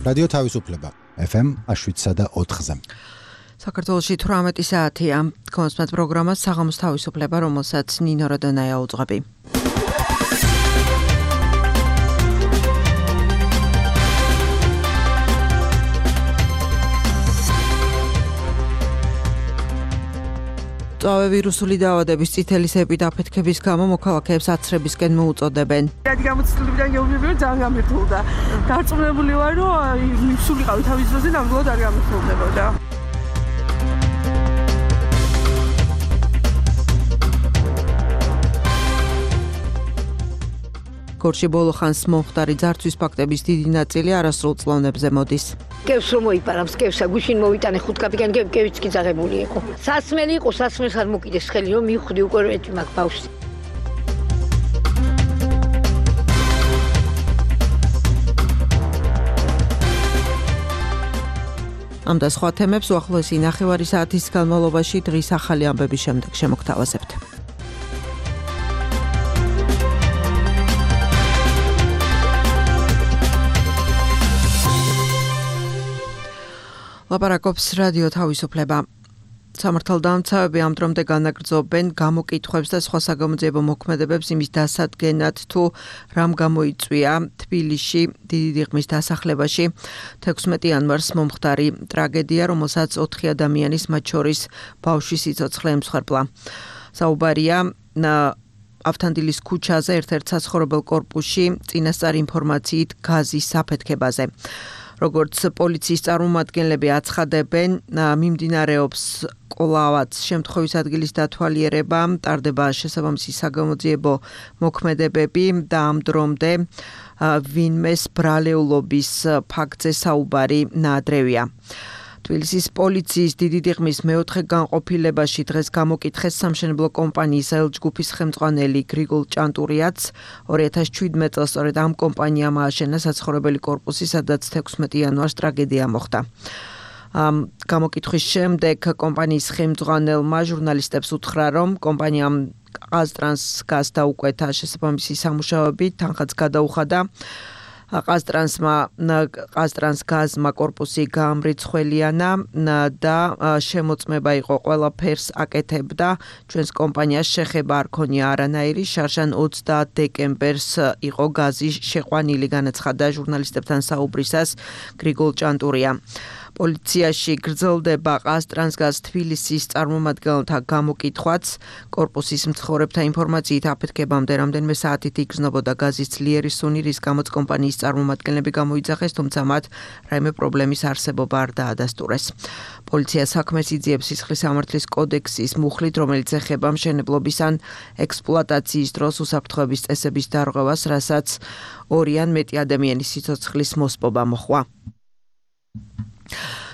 რადიო თავისუფლება FM 7.4-ზე. საქართველოში 18 საათია. კონსპект პროგრამა საღამოს თავისუფლება, რომელსაც ნინო როდონაია უძღვები. ვირუსული დაავადების წითელის ეპიდაფეთქების გამო მოქალაქეებს აცრებისკენ მოუწოდებენ. რადგან გამოცდილებიდან გეუბნები ძალიან გამირთულდა. დარწმუნებული ვარ, რომ სულიყავი თავის დროზე ნამდვილად არ გამირთულდებოდა. გორში ბოლო ხანს მომხდარი ძარცვის ფაქტების დიდი ნაწილი არასრულ წლოვნებზე მოდის. კევს რომ მოიპარავს, კევსა გუშინ მოვიტანე 5 კაპიკანი, კევიც კი ძაღებული იყო. სასმელი იყო, სასმელს არ მოკიდეს ხელი, რომ მივხვდი უკვე ერთი მაგ ბავშვს. ამ და სხვა თემებს უახლოესი ნახევარი საათის განმავლობაში დღის ახალი ამბების შემდეგ შემოგთავაზებთ. ლაპარაკობს რადიო თავისუფლება. სამართალდამცავები ამ დრომდე განაგრძობენ გამოკითხვებს და სხვა საგამოძიებო მოქმედებებს იმის დასადგენად, თუ რამ გამოიწვია თბილისში დიდი დიღმის დასახლებაში 16 იანვარს მომხდარი ტრაგედია, რომელსაც 4 ადამიანის, მათ შორის ბავშვის სიცოცხლე ემსხვერპლა. საუბარია ავთანდილის ქუჩაზე ერთ-ერთ საცხოვრებელ კორპუსში წინასწარი ინფორმაციით გაზის საფეთქებაზე. როგორც პოლიციის წარმომადგენლები აცხადებენ, მიმდინარეობს კვლავაც შემთხვევის ადგილის დათვალიერება, ტარდება შესაბამისი საგამოძიებო მოქმედებები და ამ დრომდე ვინმეს ბრალეულობის ფაქტზე საუბარი ნაადრევია. თბილისის პოლიციის დიდი დიღმის მეოთხე განყოფილებაში დღეს გამოკითხეს სამშენებლო კომპანიის ელჯგუფის ხელმძღვანელი გრიგოლ ჭანტურიაც 2017 წელს სწორედ ამ კომპანიამ ააშენა საცხოვრებელი კორპუსი, სადაც 16 იანვარს ტრაგედია მოხდა. გამოკითხვის შემდეგ კომპანიის ხელმძღვანელმა ჟურნალისტებს უთხრა, რომ კომპანიამ ყაზტრანსგაზს დაუკვეთა შესაბამისი სამუშაოები, თანხაც გადაუხადა. ყაზტრანსგაზმა კორპუსი გაამრიცხველიანა და შემოწმება იყო ყველაფერს აკეთებდა. ჩვენს კომპანიას შეხება არ ქონია არანაირი, შარშან 20 დეკემბერს იყო გაზი შეყვანილი, განაცხადა ჟურნალისტებთან საუბრისას გრიგოლ ჭანტურია. პოლიციაში გრძელდება ყაზტრანსგაზ თბილისის წარმომადგენელთა გამოკითხვაც. კორპუსის მცხოვრებთა ინფორმაციით აფეთქებამდე რამდენიმე საათით იგრძნობოდა გაზის ძლიერი სუნი, რის გამოც კომპანიის წარმომადგენლები გამოიძახეს, თუმცა მათ რაიმე პრობლემის არსებობა არ დაადასტურეს. პოლიცია საქმეს იძიებს სისხლის სამართლის კოდექსის მუხლით, რომელიც ეხება მშენებლობის ან ექსპლუატაციის დროს უსაფრთხოების წესების დარღვევას, რასაც 2 ან მეტი ადამიანის სიცოცხლის მოსპობა მოჰყვა.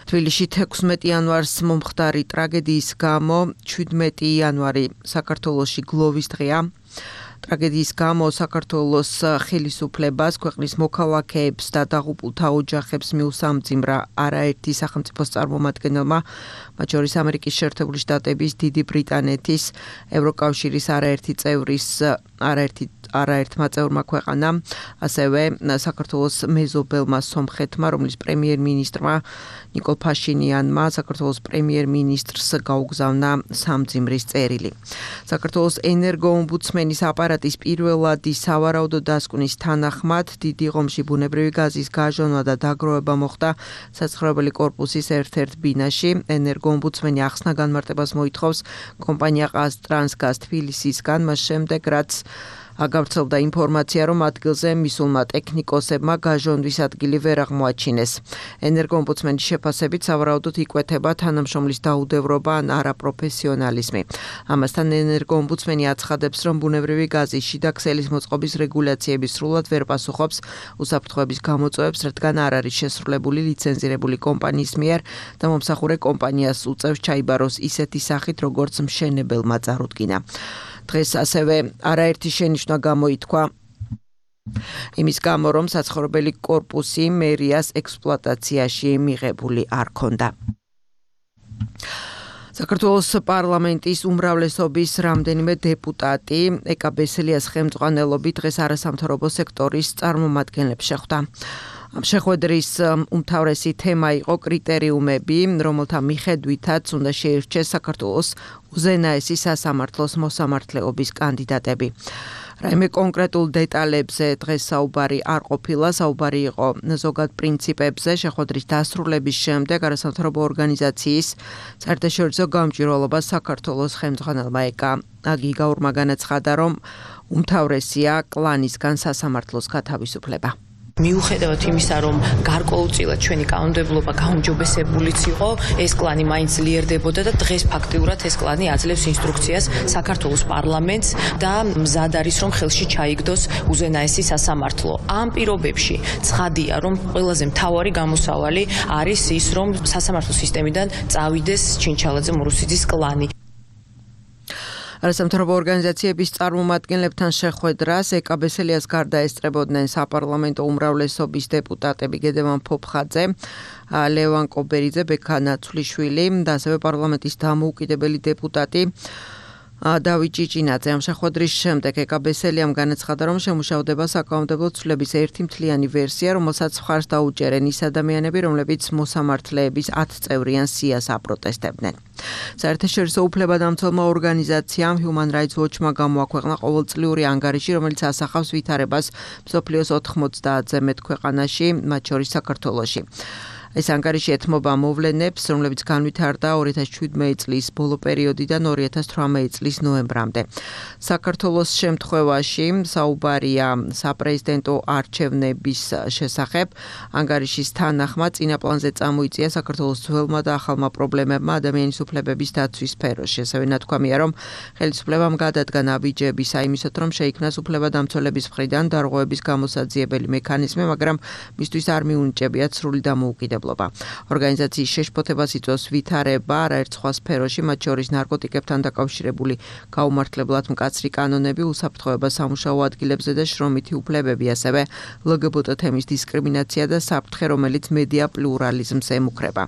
თბილისში 16 იანვარს მომხდარი ტრაგედიის გამო 17 იანვარი საქართველოში გლოვის დღეა. ტრაგედიის გამო საქართველოს ხელისუფლებას, ქვეყნის მოქალაქეებს და დაღუპულთა ოჯახებს მიუსამძიმრა არაერთი სახელმწიფოს წარმომადგენელმა, მათ შორის ამერიკის შეერთებული შტატების, დიდი ბრიტანეთის, ევროკავშირის არაერთმა წევრმა ქვეყანამ, ასევე საქართველოს მეზობელმა სომხეთმა, რომლის პრემიერ-მინისტრმა ნიკოლ ფაშინიანმა საქართველოს პრემიერ-მინისტრს გაუგზავნა სამძიმრის წერილი. საქართველოს ენერგოომბუდსმენის აპარატის პირველადი სავარაუდო დასკვნის თანახმად დიდი ღომში ბუნებრივი გაზის გაჟონვა და დაგროვება მოხდა საცხოვრებელი კორპუსის ერთ-ერთ ბინაში. ენერგოომბუდსმენი ახსნა განმარტებას მოითხოვს კომპანია ყაზტრანსგაზ თბილისისგან, მას შემდეგ რაც გავრცელდა ინფორმაცია, რომ ადგილზე მისულმა ტექნიკოსებმა გაჟონვის ადგილი ვერ აღმოაჩინეს. ენერგოომბუდსმენის შეფასებით სავარაუდოდ იკვეთება თანამშრომლის დაუდევრობა ან არაპროფესიონალიზმი. ამასთან ენერგოომბუდსმენი აცხადებს, რომ ბუნებრივი გაზის შიდა ქსელის მოწყობის რეგულაციები სრულად ვერ პასუხობს უსაფრთხოების გამოწვევებს, რადგან არ არის შესრულებული ლიცენზირებული კომპანიის მიერ და მომსახურე კომპანიას უწევს ჩაიბაროს ისეთი სახით, როგორც მშენებელმა წარუდგინა. დღეს ასევე არაერთი შენიშვნა გამოითქვა იმის გამო, რომ საცხოვრებელი კორპუსი მერიას ექსპლუატაციაში მიღებული არ ქონდა. საქართველოს პარლამენტის უმრავლესობის რამდენიმე დეპუტატი ეკა ბესელიას ხელმძღვანელობით დღეს არასამთავრობო სექტორის წარმომადგენლებს შეხვდა. ამ შეხვედრის უმთავრესი თემა იყო კრიტერიუმები, რომელთა მიხედვითაც უნდა შეირჩეს საქართველოს უზენაესი სასამართლოს მოსამართლეობის კანდიდატები. რაიმე კონკრეტულ დეტალებზე დღეს საუბარი არ ყოფილა, საუბარი იყო ზოგად პრინციპებზე. შეხვედრის დასრულების შემდეგ არასამთავრობო ორგანიზაციის საერთაშორისო გამჭვირვალობა საქართველოს ხელმძღვანელმა ეკა გიგაურმა განაცხადა, რომ უმთავრესია კლანისგან სასამართლოს გათავისუფლება. მიუხედავად იმისა, რომ გარკვეულწილად ჩვენი კანონმდებლობა გაუმჯობესებულიც იყო, ეს კლანი მაინც ლიერდებოდა და დღეს ფაქტიურად ეს კლანი აძლევს ინსტრუქციას საქართველოს პარლამენტს და მზად არის, რომ ხელში ჩაიგდოს უზენაესი სასამართლო. ამ პირობებში ცხადია, რომ ყველაზე მთავარი გამოსავალი არის ის, რომ სასამართლო სისტემიდან წავიდეს ჩინჩალაძე მურუსიძის კლანი. არასამთავრობო ორგანიზაციების წარმომადგენლებთან შეხვედრას ეკაბესელიას გარდა ესწრებოდნენ საპარლამენტო უმრავლესობის დეპუტატები გედემან ფოფხაძე, ლევან კობერიძე, ბექა ნაცვლიშვილი და ასევე პარლამენტის დამოუკიდებელი დეპუტატი დავით ჭიჭინაძე. ამ შეხვედრის შემდეგ ეკაბესელიამ განაცხადა, რომ შემუშავდება საკანონმდებლო ცვლილების ერთი მთლიანი ვერსია, რომელსაც მხარს დაუჭერენ ის ადამიანები, რომლებიც მოსამართლეების 10 წევრიან სიას აპროტესტებდნენ. საერთაშორისო უფლებადამცველმა ორგანიზაციამ Human Rights Watch-მა გამოაქვეყნა ყოველწლიური ანგარიში, რომელიც ასახავს ვითარებას მსოფლიოს 90-ზე მეტ ქვეყანაში, მათ შორის საქართველოში. ეს ანგარიში ეთმობა მოვლენებს, რომლებიც განვითარდა 2017 წლის ბოლო პერიოდიდან 2018 წლის ნოემბრამდე. საქართველოს შემთხვევაში საუბარია საპრეზიდენტო არჩევნების შესახებ. ანგარიშის თანახმად წინა პლანზე წამოიწია საქართველოს ძველმა და ახალმა პრობლემებმა ადამიანის უფლებების დაცვის სფეროში. ასევე ნათქვამია, რომ ხელისუფლებამ გადადგა ნაბიჯები საიმისოდ, რომ შეიქმნას უფლებადამცველების მხრიდან დარღვევების გამოსაძიებელი მექანიზმი, მაგრამ მისთვის არ მიუნიჭებიათ სრული დამოუკიდებლობა. ორგანიზაციის შეშფოთებას იწვევს ვითარება არაერთ სხვა სფეროში, მათ შორის ნარკოტიკებთან დაკავშირებული გაუმართლებლად მკაცრი კანონები, უსაფრთხოება სამუშაო ადგილებზე და შრომითი უფლებები, ასევე LGBT თემის დისკრიმინაცია და საფრთხე, რომელიც მედია პლურალიზმს ემუქრება.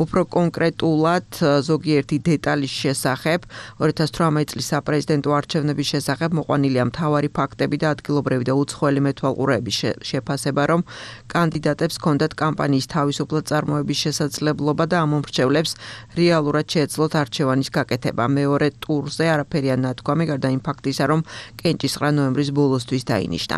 უფრო კონკრეტულად ზოგიერთი დეტალის შესახებ 2018 წლის საპრეზიდენტო არჩევნების შესახებ მოყვანილია მთავარი ფაქტები და ადგილობრივი და უცხოელი მეთვალყურეების შეფასება, რომ კანდიდატებს ჰქონდათ კამპანიის თავისუფლება წარმოების შესაძლებლობა და ამ მომრჩევლებს რეალურად შეეძლოთ არჩევანის გაკეთება. მეორე ტურზე არაფერია ნათქვამი, გარდა იმ ფაქტისა, რომ კენჭისყრა ნოემბრის ბოლოსთვის დაინიშნა.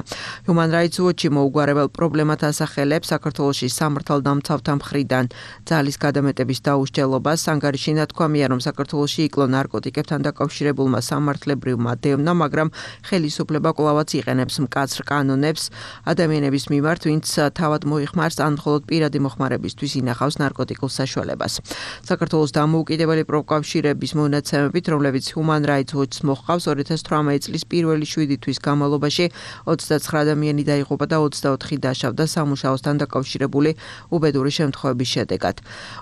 Human Rights Watch-ი მოუგვარებელ პრობლემად ასახელებს საქართველოში სამართალდამცავთა მხრიდან ძალის გადამეტების დაუსჯელობას. ანგარიში ნათქვამია, რომ საქართველოში იკლო ნარკოტიკებთან დაკავშირებულმა სამართლებრივმა დევნამ, მაგრამ ხელისუფლება კვლავაც იყენებს მკაცრ კანონებს ადამიანების მიმართ, ვინც თავად მოიხმარს ან მხოლოდ პირადი მოხმარებისთვის ინახავს ნარკოტიკულ საშუალებას. საქართველოს დამოუკიდებელი პროკავშირების მონაცემებით, რომლებიც Human Rights Watch-ს მოჰყავს, 2018 წლის პირველი 7 თვის განმავლობაში 29 ადამიანი დაიღუპა და 24 დაშავდა სამუშაოსთან დაკავშირებული უბედური შემთხვევების შედეგად.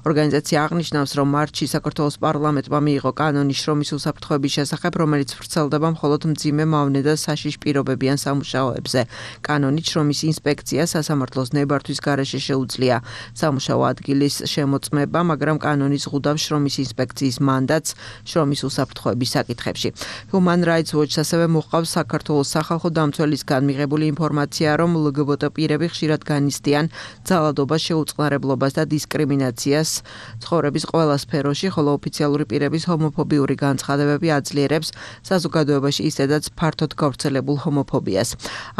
ორგანიზაცია აღნიშნავს, რომ მარტში საქართველოს პარლამენტმა მიიღო კანონი შრომის უსაფრთხოების შესახებ, რომელიც ვრცელდება მხოლოდ მძიმე მავნე და საშიშ პირობებიან სამუშაოებზე. კანონით შრომის ინსპექცია სასამართლოს ნებართვის გარეშე შეუძლია სამუშაო ადგილის შემოწმება, მაგრამ კანონი ზღუდავს შრომის ინსპექციის მანდატს შრომის უსაფრთხოების საკითხებში. Human Rights Watch ასევე მოჰყავს საქართველოს სახალხო დამცველისგან მიღებული ინფორმაცია, რომ LGBT პირები ხშირად განიცდიან ძალადობას, შეუწყნარებლობას და დისკრიმინაციას ცხოვრების ყველა სფეროში, ხოლო ოფიციალური პირების ჰომოფობიური განცხადებები აძლიერებს საზოგადოებაში ისედაც ფართოდ გავრცელებულ ჰომოფობიას.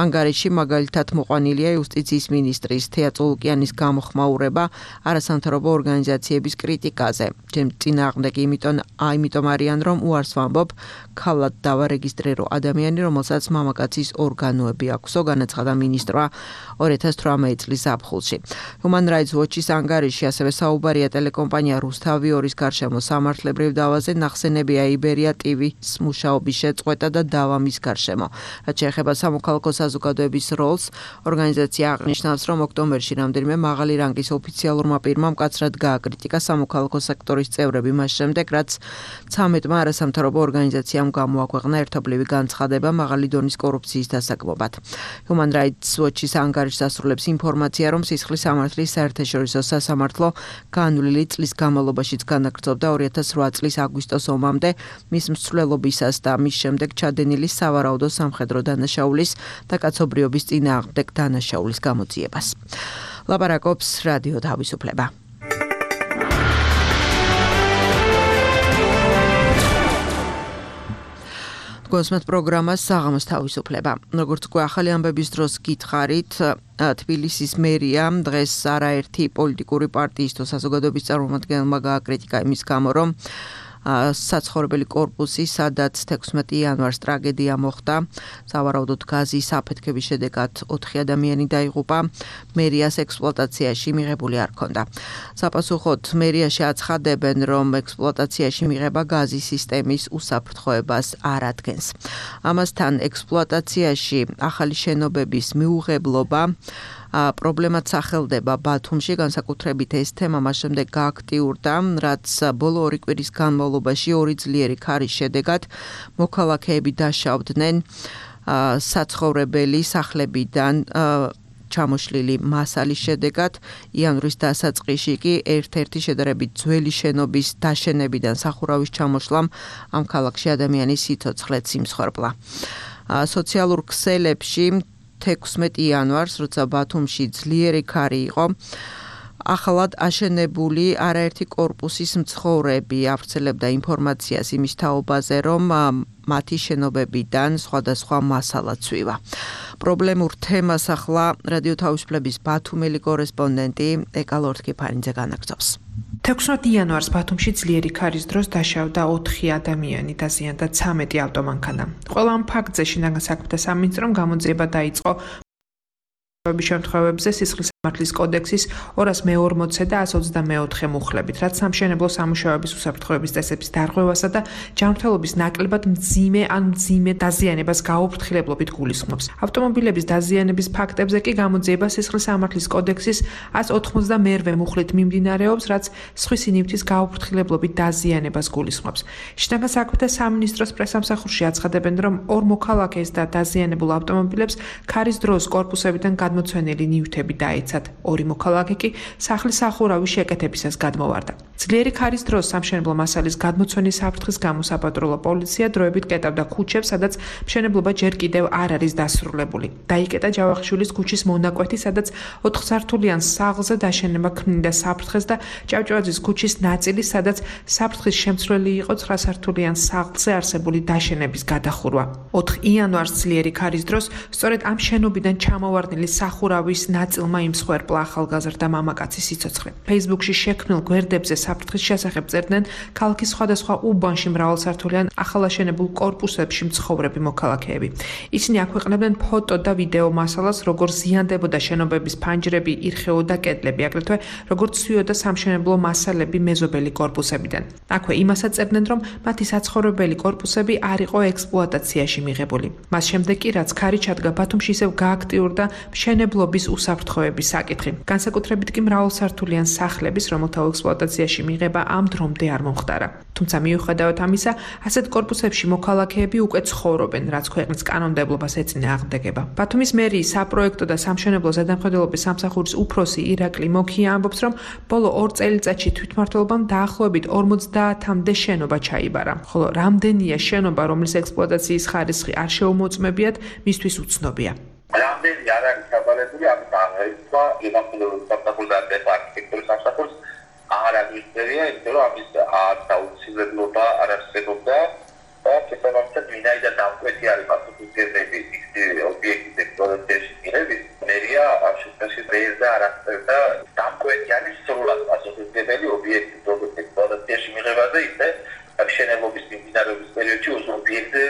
ანგარიში მაგალითად მოყვანილია იუსტიციის მინისტრის თეა წულუკიანის გამოხმაურება არასამთავრობო ორგანიზაციების კრიტიკაზე. წინააღმდეგ იმიტომ არიან, რომ უარს ვამბობ, ქალად დავარეგისტრირო ადამიანი, რომელსაც მამაკაცის ორგანოები აქვსო, განაცხადა მინისტრმა 2018 წლის ზაფხულში. Human Rights Watch-ის ანგარიში ასევე საუბარია ტელეკომპანია რუსთავი 2-ის გარშემო სამართლებრივ დავაზე, ნახსენებია იბერია TV-ს მუშაობის შეწყვეტა და დავა მის გარშემო. რაც შეეხება სამოქალაქო საზოგადოების როლს, ორგანიზაცია აღნიშნავს, რომ ოქტომბერში რამდენიმე მაღალი რანგის ოფიციალურმა პირმა მკაცრად გააკრიტიკა სამოქალაქო სექტორის წევრები მას შემდეგ, რაც 13-მა არასამთავრობო ორგანიზაციამ გამოაქვეყნა ერთობლივი განცხადება მაღალი დონის კორუფციის დასაგმობად. Human Rights Watch-ის ანგარიშს ასრულებს ინფორმაცია, რომ სისხლის სამართლის საერთაშორისო სასამართლო განვლილი წლის განმავლობაშიც განაგრძობდა 2008 წლის აგვისტოს ომამდე მის მსვლელობისას და მის შემდეგ ჩადენილი სავარაუდო სამხედრო დანაშაულის და კაცობრიობის წინააღმდეგ დანაშაულის გამოძიებას. ლაპარაკობს რადიო თავისუფლება. გოსმეთ პროგრამას საღამოს თავისუფლება. როგორც უკვე ახალი ამბების დროს გითხარით, თბილისის მერია დღეს არაერთი პოლიტიკური პარტიის თუ საზოგადოების წარმომადგენელმა გააკრიტიკა იმის გამო, რომ საცხოვრებელი კორპუსი, სადაც 16 იანვარს ტრაგედია მოხდა, სავარაუდოდ გაზის აფეთქების შედეგად 4 ადამიანი დაიღუპა, მერიას ექსპლუატაციაში მიღებული არ ჰქონდა. საპასუხოდ მერიაში აცხადებენ, რომ ექსპლუატაციაში მიღება გაზის სისტემის უსაფრთხოებას არ ადგენს. ამასთან ექსპლუატაციაში ახალი შენობების მიუღებლობა პრობლემაც სახელდება ბათუმში, განსაკუთრებით ეს თემა მას შემდეგ გააქტიურდა, რაც ბოლო 2 კვირის განმავლობაში 2 ძლიერი ქარის შედეგად მოქალაქეები დაშავდნენ საცხოვრებელი სახლებიდან ჩამოშლილი მასალის შედეგად. იანვრის დასაწყისში კი ერთ-ერთი შედარებით ძველი შენობის დაშენებიდან სახურავის ჩამოშლამ ამ ქალაქში ადამიანის სიცოცხლეც იმსხვერპლა. სოციალურ ქსელებში 16 იანვარს, როცა ბათუმში ძლიერი ქარი იყო, ახალად აშენებული არაერთი კორპუსის მცხოვრები ავრცელებდა ინფორმაციას იმის თაობაზე, რომ მათი შენობებიდან სხვადასხვა მასალა ცვივა. პრობლემურ თემას ახლა რადიო თავისუფლების ბათუმელი კორესპონდენტი ეკა ლორთქიფანიძე განაგრძობს. 16 იანვარს ბათუმში ძლიერი ქარის დროს დაშავდა 4 ადამიანი, დაზიანდა 13 ავტომანქანა. ყველა ამ ფაქტზე შინაგან საქმეთა სამინისტრომ გამოძიება დაიწყო შემთხვევებზე სისხლის სამართლის კოდექსის 240 და 124 მუხლებით, რაც სამშენებლო სამუშაოების უსაფრთხოების წესების დარღვევასა და ჯანმრთელობის ნაკლებად მძიმე დაზიანებას გაუფრთხილებლობით გულისხმობს. ავტომობილების დაზიანების ფაქტებზე კი გამოძიება სისხლის სამართლის კოდექსის 192 მუხლით მიმდინარეობს, რაც სხვისი ნივთის გაუფრთხილებლობით დაზიანებას გულისხმობს. შინაგან საქმეთა სამინისტროს პრესამსახურში აცხადებენ, რომ 2 მოქალაქეს და დაზიანებულ ავტომობილებს ქარის დროს კორპუსებიდან გადმოცვენილი ნივთები დაეცა. 2 მოქალაქე კი სახლის სახურავის შეკეთებისას გადმოვარდა. ძლიერი ქარის დროს სამშენებლო მასალის გადმოცვენის საფრთხის გამო საპატრულო პოლიცია დროებით კეტავდა ქუჩებს, სადაც მშენებლობა ჯერ კიდევ არ არის დასრულებული. დაიკეტა ჯავახიშვილის ქუჩის მონაკვეთი, სადაც 4 სართულიან სახლზე დაშენება ქმნიდა საფრთხეს და ჭავჭავაძის ქუჩის ნაწილი, სადაც საფრთხის შემცვლელი იყო 9 სართულიან სახლზე არსებული დაშენების გადახურვა. 4 იანვარს ძლიერი ქარის დროს სწორედ ამ შენობიდან ჩამოვარდნილი სახურავის ნაწილმა იმსხვერპლა ახალგაზრდა მამაკაცის სიცოცხლე. Facebook-ში შექმნილ გვერდებზე საფრთხის შესახებ წერდნენ ქალაქის სხვადასხვა უბანში მრავალსართულიან ახალაშენებულ კორპუსებში მცხოვრები მოქალაქეები. ისინი აქვეყნებდნენ ფოტო და ვიდეო მასალას, როგორ ზიანდებოდა შენობების ფანჯრები, ირხეოდა კედლები, აგრეთვე როგორ ცვიოდა სამშენებლო მასალები მეზობელი კორპუსებიდან. აქვე იმასაც წერდნენ, რომ მათი საცხოვრებელი კორპუსები არ იყო ექსპლუატაციაში მიღებული. მას შემდეგ კი რაც ქარი ჩადგა ბათუმში, ისევ გააქტიურდა მშენებლობის უსაფრთხოების საკითხი. განსაკუთრებით კი მრავალსართულიან სახლების, რომელთა ექსპლუატაციაში მიღება ამ დრომდე არ მომხდარა. თუმცა მიუხედავად ამისა, ასეთ კორპუსებში მოქალაქეები უკვე ცხოვრობენ, რაც ქვეყნის კანონმდებლობას ეწინააღმდეგება. ბათუმის მერიის საპროექტო და სამშენებლო ზედამხედველობის სამსახურის უფროსი ირაკლი მოქია ამბობს, რომ ბოლო 2 წელიწადში თვითმმართველობამ დაახლოებით 50-მდე შენობა ჩაიბარა, ხოლო რამდენია შენობა, რომლის ექსპლუატაციის ხარისხი არ შეუმოწმებიათ, მისთვის უცნობია. რამდენი არ არის ჩაბარებული, ამით აღეცვა ზედამხედველობის სამსახურს და არქიტექტურის სამსახურს არ აღიწერია, იმიტომ რომ ამის აუცილებლობა არ არსებობდა და შესაბამისად ვინაიდან დამკვეთი არის პასუხისმგებლები ობიექტის ექსპლუატაციაში მიღების, მერია ამ შემთხვევაში ვერ და არ აღწერდა დამკვეთი არის სრულად პასუხისმგებელი ობიექტის ექსპლუატაციაში მიღებაზე, ისე მშენებლობის მიმდინარეობის პერიოდში ობიექტზე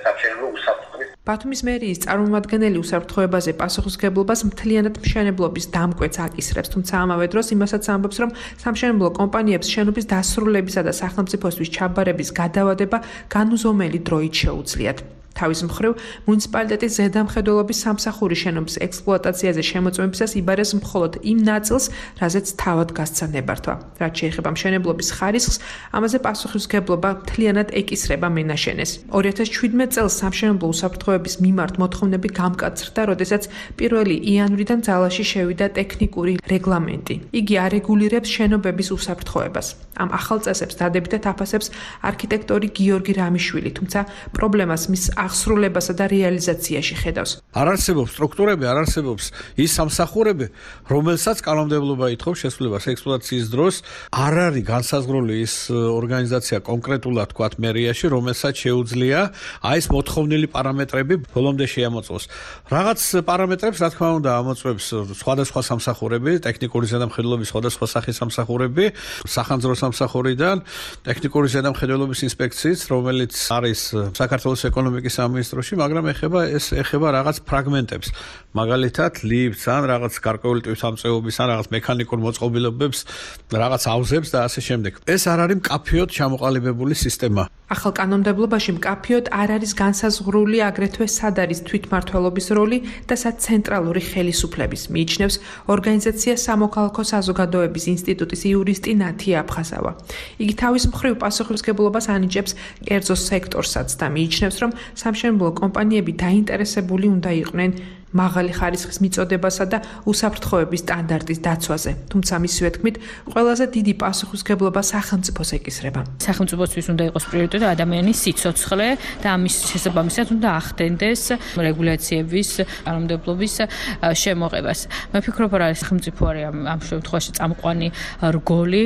სამშენებლო უსაფრთხოების. ბათუმის მერიის წარმომადგენელი უსაფრთხოებაზე პასუხისმგებლობას მთლიანად მშენებლობის დამკვეთს აკისრებს, თუმცა ამავე დროს იმასაც ამბობს, რომ სამშენებლო კომპანიებს შენობის დასრულებისა და სახელმწიფოსთვის ჩაბარების გადავადება განუზომელი დროით შეუძლიათ. თავის მხრივ, მუნიციპალიტეტის ზედამხედველობის სამსახური შენობის ექსპლუატაციაზე შემოწმებისას იბარეს მხოლოდ იმ ნაწილს, რაზეც თავად გასცა ნებართვა. რაც შეეხება მშენებლობის ხარისხს, ამაზე პასუხისმგებლობა მთლიანად ეკისრება მენაშენეს. 2017 წელს სამშენებლო უსაფრთხოების მიმართ მოთხოვნები გამკაცრდა, როდესაც 1 იანვრიდან ძალაში შევიდა ტექნიკური რეგლამენტი. იგი არეგულირებს შენობების უსაფრთხოებას. ამ ახალ წესებს დადებითად აფასებს არქიტექტორი გიორგი რამიშვილი, თუმცა პრობლემას მის აღსრულებასა და რეალიზაციაში ხედავს. არ არსებობს სტრუქტურები, არ არსებობს ის სამსახურები, რომელსაც კანონმდებლობა ითხოვს შესრულებას ექსპლუატაციის დროს. არ არის განსაზღვრული ის ორგანიზაცია კონკრეტულად თქვათ მერიაში, რომელსაც შეუძლია აი ეს მოთხოვნილი პარამეტრები ბოლომდე შეამოწმოს. რაღაც პარამეტრებს, რა თქმა უნდა, ამოწმებს სხვადასხვა სამსახურები, ტექნიკური ზედამხედველობის სხვადასხვა სახის სამსახურები, სახანძრო სამსახურიდან, ტექნიკური ზედამხედველობის ინსპექციით, რომელიც არის საქართველოს ეკონომიკის სამინისტროში, მაგრამ ეხება რაღაც ფრაგმენტებს. მაგალითად, ლიფტს ან რაღაც გარკვეული თვითამწეობის ან რაღაც მექანიკურ მოწყობილობებს, რაღაც ავზებს და ასე შემდეგ. ეს არ არის მკაფიოდ ჩამოყალიბებული სისტემა. ახალ კანონმდებლობაში მკაფიოდ არ არის განსაზღვრული აგრეთვე სად არის თვითმმართველობის როლი და სად ცენტრალური ხელისუფლების, მიიჩნევს ორგანიზაცია სამოქალაქო საზოგადოების ინსტიტუტის იურისტი ნათია აფხაზავა. იგი თავის მხრივ პასუხისმგებლობას ანიჭებს კერძო სექტორსაც და მიიჩნევს, რომ სამშენებლო კომპანიები დაინტერესებული უნდა იყვნენ მაღალი ხარისხის მიწოდებასა და უსაფრთხოების სტანდარტის დაცვაზე. თუმცა მისივე თქმით, ყველაზე დიდი პასუხისმგებლობა სახელმწიფოს ეკისრება. სახელმწიფოსთვის უნდა იყოს პრიორიტეტი ადამიანის სიცოცხლე და ამის შესაბამისად უნდა ახდენდეს რეგულაციების, კანონმდებლობის შემოღებას. მე ვფიქრობ, რომ სახელმწიფო არის ამ შემთხვევაში წამყვანი რგოლი,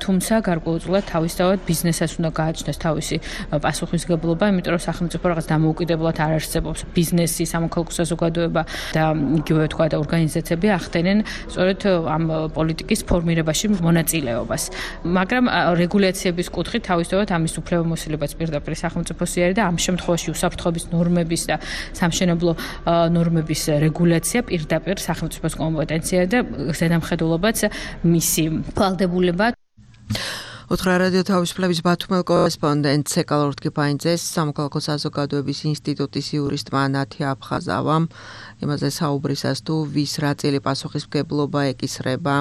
თუმცა გარკვეულწილად თავისთავად ბიზნესს უნდა გააჩნდეს თავისი პასუხისმგებლობა, იმიტომ რომ სახელმწიფო რაღაც დამოუკიდებლად არ არსებობს. ბიზნესი, სამოქალაქო საზოგადოება და იგივე თქვა და ორგანიზაციები ახდენენ სწორედ ამ პოლიტიკის ფორმირებაში მონაწილეობას. მაგრამ რეგულაციების კუთხით თავისთავად ამის უფლებამოსილებაც პირდაპირ სახელმწიფოსი არის და ამ შემთხვევაში უსაფრთხოების ნორმების და სამშენებლო ნორმების რეგულაცია პირდაპირ სახელმწიფოს კომპეტენცია და ზედამხედველობაც მისი ვალდებულება. უთხრა რადიო თავისუფლების ბათუმელ კორესპონდენტ ცეკალ ორთქიფაინძეს სამოქალაქო საზოგადოების ინსტიტუტის იურისტმა ნათია აფხაზავამ იმაზე საუბრისას თუ ვის რა წილი პასუხისმგებლობა ეკისრება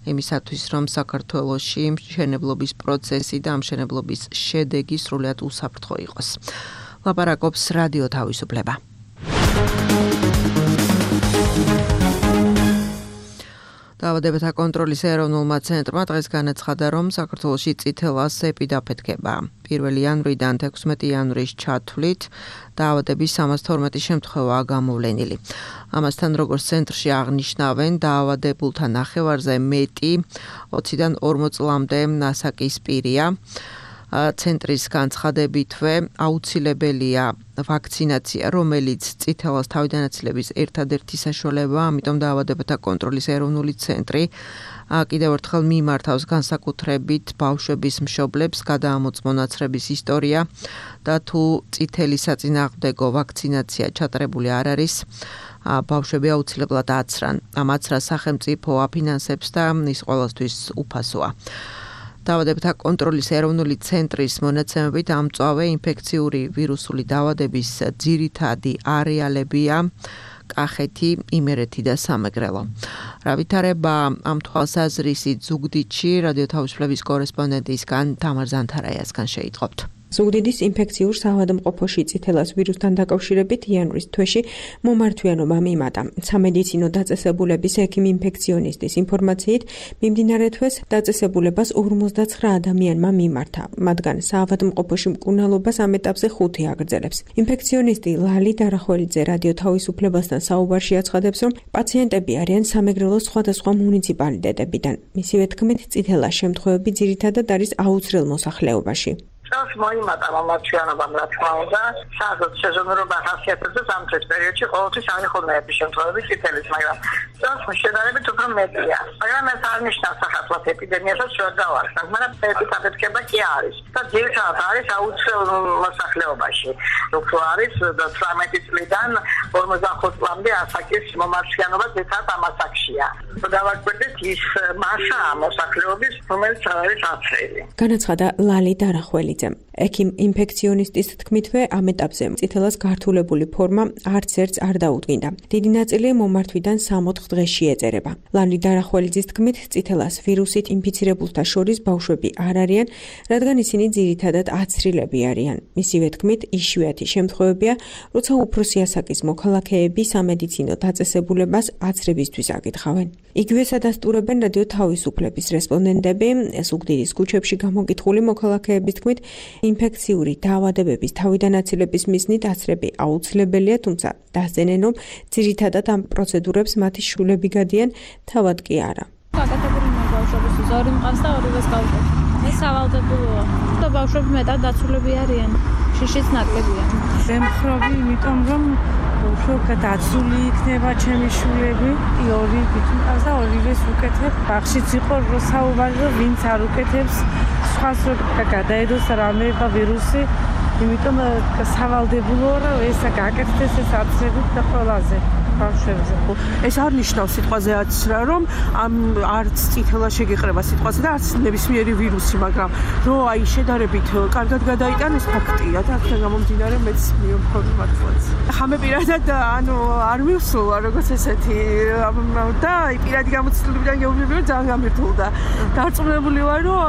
იმისათვის რომ საქართველოში მშენებლობის პროცესი და მშენებლობის შედეგი სრულად უსაფრთხო იყოს. ლაპარაკობს რადიო თავისუფლება. დაავადებათა კონტროლის ეროვნულმა ცენტრმა დღეს განაცხადა, რომ საქართველოში წითელას ეპი დაფეთქება. 1 იანვრიდან 16 იანვრის ჩათვლით დაავადების 312 შემთხვევაა გამოვლენილი. ამასთან, როგორც ცენტრში აღნიშნავენ, დაავადებულთა ნახევარზე მეტი 20-დან 40 წლამდე ასაკის პირია. ცენტრის განცხადებითვე აუცილებელია ვაქცინაცია, რომელიც წითელას თავიდანაცილების ერთადერთი საშუალებაა, ამიტომ დაავადებათა კონტროლის ეროვნული ცენტრი კიდევ ერთხელ მიმართავს განსაკუთრებით ბავშვების მშობლებს გადაამოწმონ ნაცრების ისტორია და თუ წითელი საწინააღმდეგო ვაქცინაცია ჩატარებული არ არის, ბავშვები აუცილებლად აცრან. ამ აცრას სახელმწიფო აფინანსებს და ის ყველასთვის უფასოა. დაავადებათა კონტროლის ეროვნული ცენტრის მონაცემებით ამწვავე ინფექციური ვირუსული დაავადების ძირითადი არეალებია კახეთი, იმერეთი და სამეგრელო. რა ვითარება ამ თვალსაზრისით ზუგდიდში რადიო თავისუფლების კორესპონდენტისგან თამარ ზანთარაიასგან შეიტყობთ. ზუგდიდის ინფექციურ საავადმყოფოში წითელას ვირუსთან დაკავშირებით იანვრის თვეში მომართვიანობა მიმატა. სამედიცინო დაწესებულების ექიმ ინფექციონისტის ინფორმაციით, მიმდინარე თვეს დაწესებულებას 59 ადამიანმა მიმართა. მათგან საავადმყოფოში მკურნალობას ამ ეტაპზე 5 აგრძელებს. ინფექციონისტი ლალი დარახველიძე რადიო თავისუფლებასთან საუბარში აცხადებს, რომ პაციენტები არიან სამეგრელოს სხვადასხვა მუნიციპალიტეტებიდან. მისივე თქმით, წითელას შემთხვევები ძირითადად არის აუცრელ მოსახლეობაში. წელს მოიმატა მომართვიანობამ, რა თქმა უნდა, სადაც სეზონურობა ხასიათდება ზამთრის პერიოდში ყოველთვის არის ხოლმე შემთხვევები წითელის, მაგრამ წელს შედარებით უფრო მეტია. მაგრამ ეს არ ნიშნავს საქართველოს ეპიდემიასაც შორ დავარსნათ, მაგრამ ეს დაფეთქება კი არის. და ძირითადად არის აუცილებლ მოსახლეობაში. უფრო არის 18 წლიდან 45 წლამდე ასაკის მომართვიანობა ძირითადად ამ ასაკშია. დავაკვირდით ის მასა მოსახლეობის, რომელიც არის აცრელი. განაცხადა ლალი დარახველიძე. ექიმ ინფექციონისტის თქმითვე ამ ეტაპზე წითელას გართულებული ფორმა არც ერთს არ დაუდგინდა. დიდი ნაწილი მომართვიდან 3-4 დღეში ეწერება. ლალი დარახველიძის თქმით, წითელას ვირუსით ინფიცირებულთა შორის ბავშვები არ არიან, რადგან ისინი ძირითადად აცრილები არიან. მისივე თქმით, იშვიათი შემთხვევებია, როცა უფროსი ასაკის მოქალაქეები სამედიცინო დაწესებულებას აცრებისთვის აკითხავენ. იგივე სადასტურებენ რადიო თავისუფლების რესპონდენტები, ზუგდიდის ქუჩებში გამოკითხული მოქალაქეების თქმით, ინფექციური დაავადებების თავიდან აცილების მიზნით აცრები აუცილებელია, თუმცა დასძენენ, რომ ძირითადად ამ პროცედურებს მათი შვილები გადიან, თავად კი არა. გაკეთებული ბავშვებისთვის ორი მყავს და ორივეს გავუკეთე. ეს სავალდებულოა. და ბავშვები მეტად დაცულები არიან. შიშიც ნაკლებია. ვემხრობი, იმიტომ რომ უფრო დაცული იქნება ჩემი შვილები, ორი მყავს და ორივეს ვუკეთებ. ბაღშიც იყო საუბარი, რომ ვინც არ უკეთებს, სხვას გადაედოს რამე ვირუსი, იმიტომ სავალდებულოა, რომ ეს გაკეთდეს ეს აცრებით და ყველაზე. ბავშვებზე. ეს არ ნიშნავს სიტყვაზე აცრა, რომ არც წითელა შეგეყრება სიტყვაზე და არც ნებისმიერი ვირუსი, მაგრამ რო აი შედარებით კარგად გადაიტანეს ფაქტია და აქედან გამომდინარე მეც მიომქონი მართლაც. ხამე პირადად არ მივსულა როგორც ესეთი და აი პირადი გამოცდილებიდან გეუბნები რომ ძალიან გამირთულდა. დარწმუნებული ვარ რომ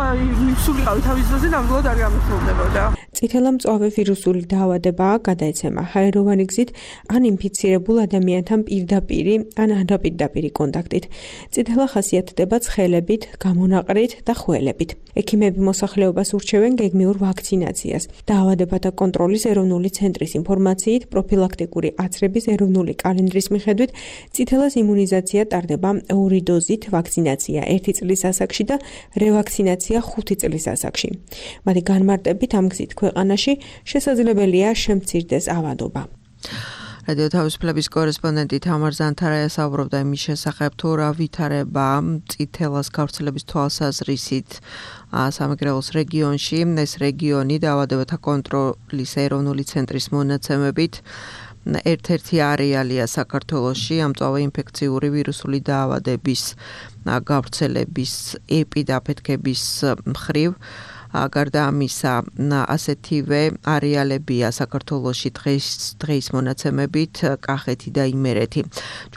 მივსულიყავი თავის დროზე ნამდვილად არ გამირთულდებოდა. წითელა მწვავე ვირუსული დაავადებაა, გადაეცემა ჰაეროვანი გზით ან ინფიცირებულ ადამიანთან პირდაპირი ან არაპირდაპირი კონტაქტით. წითელა ხასიათდება ცხელებით, გამონაყრით და ხველებით. ექიმები მოსახლეობას ურჩევენ გეგმიურ ვაქცინაციას. დაავადებათა კონტროლის ეროვნული ცენტრის ინფორმაციით, პროფილაქტიკური აცრების ეროვნული კალენდრის მიხედვით, წითელას იმუნიზაცია ტარდება 2 დოზით, ვაქცინაცია 1 წლის ასაკში და რევაქცინაცია 5 წლის ასაკში. მათი განმარტებით ამ გზით ქვეყანაში შესაძლებელია შემცირდეს ავადობა. რადიო თავისუფლების კორესპონდენტი თამარ ზანთარაია საუბრობდა იმის შესახებ, თუ რა ვითარება წითელას გავრცელების თვალსაზრისით სამეგრელოს რეგიონში. ეს რეგიონი დაავადებათა კონტროლის ეროვნული ცენტრის მონაცემებით ერთ-ერთი არეალია საქართველოში ამ მწვავე ინფექციური ვირუსული დაავადების გავრცელების ეპიდაფეთქების მხრივ. გარდა ამისა, ასეთივე არეალებია საქართველოში დღის მონაცემებით კახეთი და იმერეთი.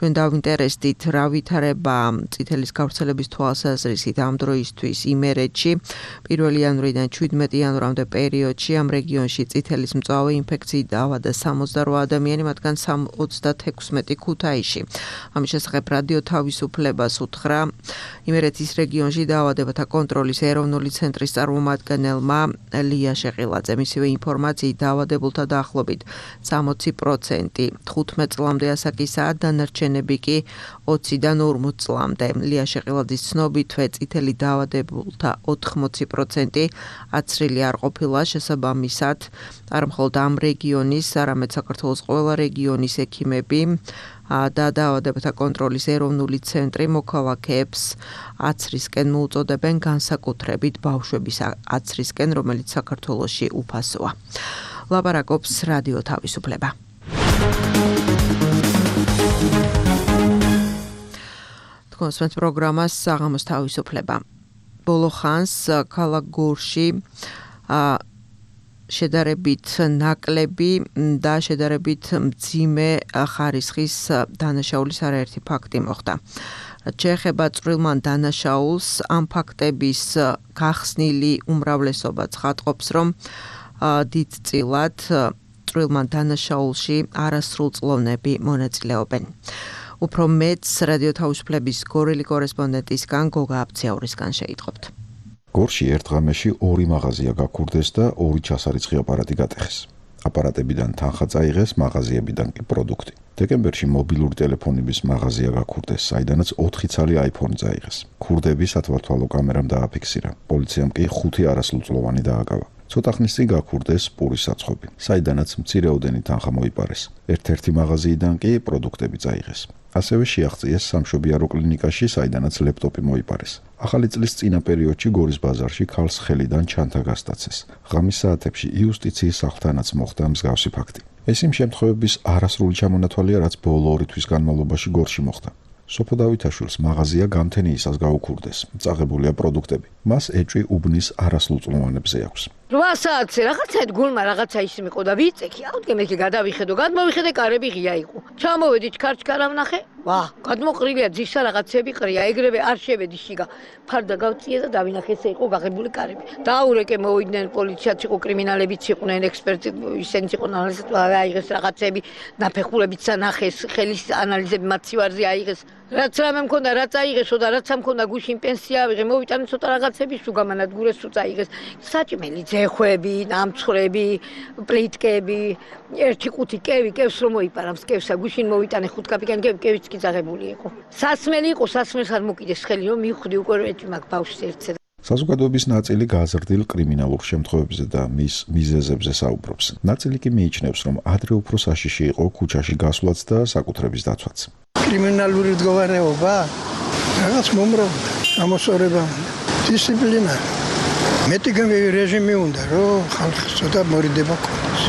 ჩვენ დავინტერესდით, რა ვითარება წითელის გავრცელების თვალსაზრისით ამ დროისთვის იმერეთში. 1 იანვრიდან 17 იანვრამდე პერიოდში ამ რეგიონში წითელის მწვავე ინფექციით დაავადდა 68 ადამიანი, მათგან 36 ქუთაისში. ამის შესახებ რადიო თავისუფლებას უთხრა იმერეთის რეგიონში დაავადებათა კონტროლის ეროვნული ცენტრის წარმომადგენელმა ლია შეყილაძემ. მისივე ინფორმაციით დაავადებულთა დაახლოებით 60% 15 წლამდე ასაკისაა, დანარჩენები კი 20-დან 40 წლამდე. ლია შეყილაძის ცნობითვე წითელი დაავადებულთა 80% აცრილი არ ყოფილა, შესაბამისად არ მხოლოდ ამ რეგიონის, არამედ საქართველოს ყველა რეგიონის ექიმები და დაავადებათა კონტროლის ეროვნული ცენტრი მოქალაქეებს აცრისკენ მოუწოდებენ, განსაკუთრებით ბავშვების აცრისკენ, რომელიც საქართველოში უფასოა. ლაპარაკობს რადიო თავისუფლება. თქვენს პროგრამას საღამოს თავისუფლება. ბოლო ხანს ქალაქ გორში შედარებით ნაკლები და შედარებით მძიმე ხარისხის დანაშაულის არაერთი ფაქტი მოხდა. შეეხება წვრილმან დანაშაულს, ამ ფაქტების გახსნილი უმრავლესობა ცხადყოფს, რომ დიდწილად წვრილმან დანაშაულში არასრულწლოვნები მონაწილეობენ. უფრო მეც რადიო თავისუფლების გორელი კორესპონდენტისგან გოგა აფციაურისგან შეიტყობთ. გორში ერთ ღამეში 2 მაღაზია გაქურდეს და 2 ჩასარიცხი აპარატი გატეხეს. აპარატებიდან თანხა წაიღეს, მაღაზიებიდან კი პროდუქტი. დეკემბერში მობილური ტელეფონების მაღაზია გაქურდეს, საიდანაც 4 ცალი iPhone წაიღეს. ქურდები სათვალთვალო კამერამ დააფიქსირა. პოლიციამ კი 5 არასრულწლოვანი დააკავა. ცოტა ხნის წინ გაქურდეს პურის საცხობი, საიდანაც მცირეოდენი თანხა მოიპარეს. ერთ-ერთი მაღაზიიდან კი პროდუქტები წაიღეს. ასევე შეაღწიეს სამშობიარო კლინიკაში, საიდანაც ლეპტოპი მოიპარეს. ახალი წლის წინა პერიოდში გორის ბაზარში ქალს ხელიდან ჩანთა გასტაცეს. ღამის საათებში იუსტიციის სახლთანაც მოხდა მსგავსი ფაქტი. ეს იმ შემთხვევების არასრული ჩამონათვალია, რაც ბოლო 2 თვის განმავლობაში გორში მოხდა. სოფო დავითაშვილს მაღაზია გამთენიისას გაუქურდეს. წაღებულია პროდუქტები. მას ეჭვი უბნის არასრულწლოვანებზე აქვს. 8 საათზე რაღაცა გულმა რაღაცა ის მიყო და ვიწექი, აუდგე მე გადავიხედო, გადმოვიხედე კარები ღია იყო. ჩამოვედი ჩქარჩქარა ვნახე, გადმოყრილია ძისა რაღაცები ყრია, ეგრევე არ შევედი შიგა. ფარდა გავწიე და დავინახე ესე იყო გაღებული კარები. დაურეკე მოვიდნენ პოლიციაც იყო, კრიმინალებიც იყვნენ, ექსპერტი ისინიც იყვნენ, აიღეს რაღაცები, ნაფეხურებიც ანახეს, ხელის ანალიზები მათ სივარზე აიღეს. რაც რამე მქონდა, რაც აიღესო და რაც მქონდა გუშინ პენსია ავიღე, მოვიტანე ცოტა რაღაცების თუ გამანადგურეს თუ წაიღეს. საჭმელი ძეხვები, ნამცხრები, პლიტკები, 1 კევი, კევს რომ მოიპარა, კევსა გუშინ მოვიტანე 5 კაპიკანი, კევიც კი ძაღებული იყო. სასმელი იყო, სასმელს არ მოკიდეს ხელი, რომ მივხვდი უკვე ეჭვი მაგ ბავშვს ერთზე. საზოგადოების ნაწილი გაზრდილ კრიმინალურ შემთხვევებზე და მის მიზეზებზე საუბრობს. ნაწილი კი მიიჩნევს, რომ ადრე უფრო საშიში იყო ქუჩაში გასვლაც და საკუთრების დაცვაც. კრიმინალური მდგომარეობა რაღაც მომრავლდა, გამოსწორება, დისციპლინა. მეტი რეჟიმი უნდა, რომ ხალხი ცოტა მორიდება ქონდეს.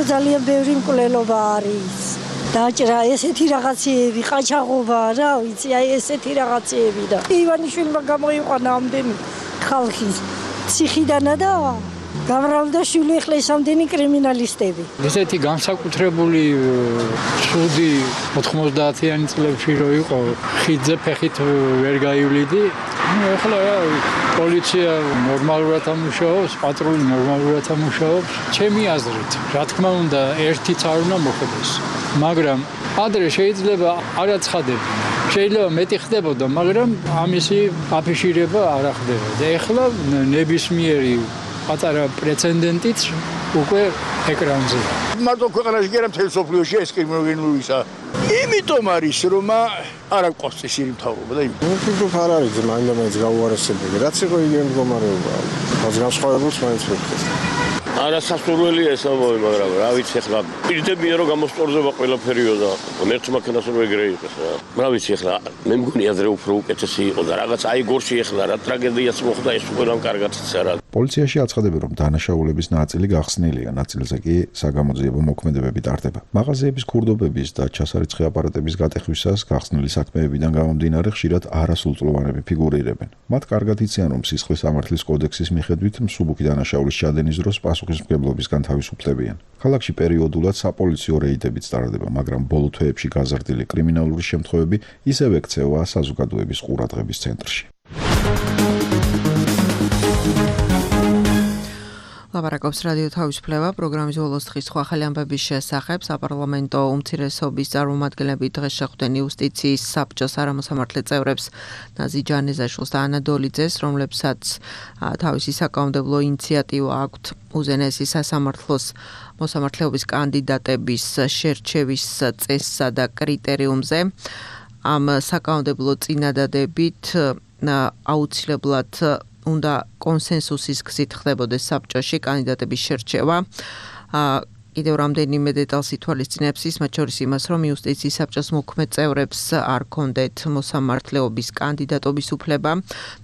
ძალიან ბევრი მკვლელობა არის. დაჭრა ესეთი რაღაცეები, ყაჩაღობა, რა ვიცი, აი ესეთი რაღაცეები და ივანიშვილმა გამოიყვანა ამდენი ხალხი ციხიდანა და გამრავლდა შვილი ახლა ესამდენი კრიმინალისტები. ესეთი განსაკუთრებული ცუდი 90-იანი წლებში რო იყო, ხიდზე ფეხით ვერ გაივლიდი. ახლა პოლიცია ნორმალურად ამუშავებს, პატრული ნორმალურად ამუშავებს. ჩემი აზრით, რა თქმა უნდა, ერთიც არ უნდა მოხდეს. მაგრამ ადრე შეიძლება არ აცხადებინა. შეიძლება მეტი ხდებოდა, მაგრამ ამისი აფიშირება არ ხდებოდა. ეხლა ნებისმიერი პატარა პრეცედენტიც უკვე ეკრანზე. მარტო ქვეყანაში კი არა, მთელ სოფლიოში ეს კრიმინოლოგიისა. იმიტომ არის, რომ არ აქვს წესიერი მთავრობა და ვფიქრობ არ არის მაინც გაუარესებელი. რაც იყო იგივე მდგომარეობა. რაც განსხვავებულს მაინც ვფიქრობ. არასასურველია ეს ამბავი, მაგრამ რა ვიცი ახლა პირდებია რომ გამოსწორდება ყველაფერიო და ერთ მანქანას რომ ეგრე იყოს რა. რა ვიცი ახლა მე მგონი ადრე უფრო უკეთესი იყო და რაღაც აი გორში ახლა რა ტრაგედიაც მოხდა ეს უკვე რამ კარგად იცარა. პოლიციაში აცხადებენ, რომ დანაშაულების ნაწილი გახსნილია, ნაწილზე კი საგამოძიებო მოქმედებები ტარდება. მაღაზიების ქურდობების და ჩასარიცხი აპარატების გატეხვისას გახსნილი საქმეებიდან გამომდინარე ხშირად არასრულწლოვანები ფიგურირებენ. მათ კარგად იციან, რომ სისხლის სამართლის კოდექსის მიხედვით მსუბუქი დანაშაულის ჩადენის დროს პასუხისმგებლობისგან თავისუფლებიან. ქალაქში პერიოდულად საპოლიციო რეიდებიც ტარდება, მაგრამ ბოლო თვეებში გაზრდილი კრიმინალური შემთხვევები ისევ ექცევა საზოგადოების ყურადღების ცენტრში. ლაპარაკობს რადიო თავისუფლება პროგრამის ბოლოს დღის სხვა ახალი ამბების შესახებ. საპარლამენტო უმცირესობის წარმომადგენლები დღეს შეხვდნენ იუსტიციის საბჭოს არამოსამართლე წევრებს ნაზი ჯანეზაშვილს და ანა დოლიძეს, რომლებსაც თავისი საკანონმდებლო ინიციატივა აქვთ უზენაესი სასამართლოს მოსამართლეობის კანდიდატების შერჩევის წესსა და კრიტერიუმზე. ამ საკანონმდებლო წინადადებით აუცილებლად უნდა კონსენსუსის გზით ხდებოდეს საბჭოში კანდიდატების შერჩევა. კიდევ რამდენიმე დეტალს ითვალისწინებს ის, მათ შორის იმას, რომ იუსტიციის საბჭოს მოქმედ წევრებს არ ჰქონდეთ მოსამართლეობის კანდიდატობის უფლება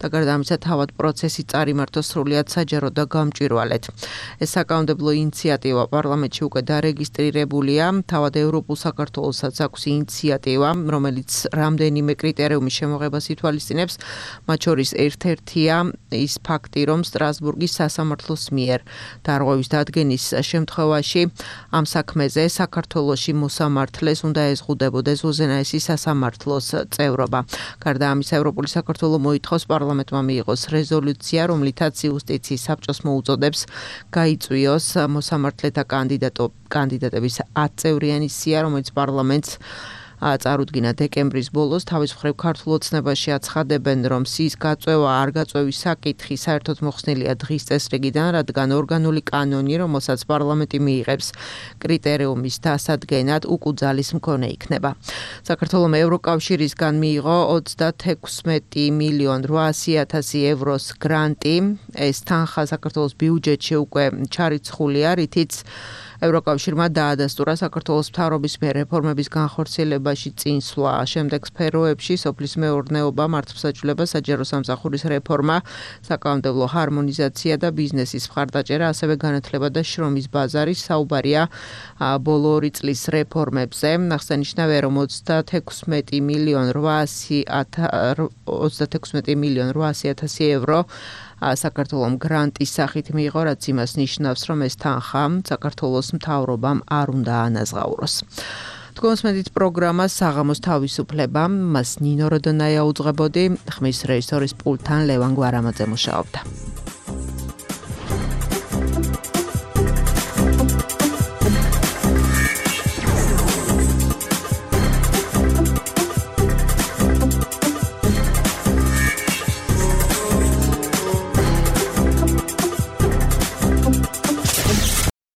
და გარდა ამისა თავად პროცესი წარიმართოს სრულიად საჯარო და გამჭვირვალედ. ეს საკანონმდებლო ინიციატივა პარლამენტში უკვე დარეგისტრირებულია. თავად ევროპულ საქართველოსაც აქვს ინიციატივა, რომელიც რამდენიმე კრიტერიუმის შემოღებას ითვალისწინებს. მათ შორის ერთ-ერთია ის ფაქტი, რომ სტრასბურგის სასამართლოს მიერ დარღვევის დადგენის შემთხვევაში ამ საქმეზე საქართველოში მოსამართლეს უნდა ეზღუდებოდეს უზენაესი სასამართლოს წევრობა. გარდა ამისა, ევროპული საქართველო მოითხოვს პარლამენტმა მიიღოს რეზოლუცია, რომლითაც იუსტიციის საბჭოს მოუწოდებს გაიწვიოს მოსამართლეთა კანდიდატების 10 წევრიანი სია, რომელიც პარლამენტს წარუდგინა დეკემბრის ბოლოს. თავის მხრივ ქართულ ოცნებაში აცხადებენ, რომ სიის გაწევა არ გაწევის საკითხი საერთოდ მოხსნილია დღის წესრიგიდან, რადგან ორგანული კანონი, რომელსაც პარლამენტი მიიღებს კრიტერიუმის დასადგენად, უკუძალის მქონე იქნება. საქართველომ ევროკავშირისგან მიიღო 26,800,000 ევროს გრანტი. ეს თანხა საქართველოს ბიუჯეტში უკვე ჩარიცხულია, რითიც ევროკავშირმა დაადასტურა საქართველოს მთავრობის მიერ რეფორმების განხორციელებაში წინსვლა. შემდეგ სფეროებში სოფლის მეურნეობა, მართლმსაჯულება, საჯარო სამსახურის რეფორმა, საკანონმდებლო ჰარმონიზაცია და ბიზნესის მხარდაჭერა, ასევე განათლება და შრომის ბაზარი. საუბარია ბოლო 2 წლის რეფორმებზე. აღსანიშნავია, რომ 26,800,000 ევრო საქართველოს გრანტის სახით მიიღო, რაც იმას ნიშნავს, რომ ეს თანხა საქართველოს მთავრობამ არ უნდა ანაზღაუროს. თქვენს პროგრამას საღამოს თავისუფლება, მას ნინო როდონაია უძღვებოდი, ხმის რეჟისორის პულტთან ლევან გვარამაძე მუშაობდა.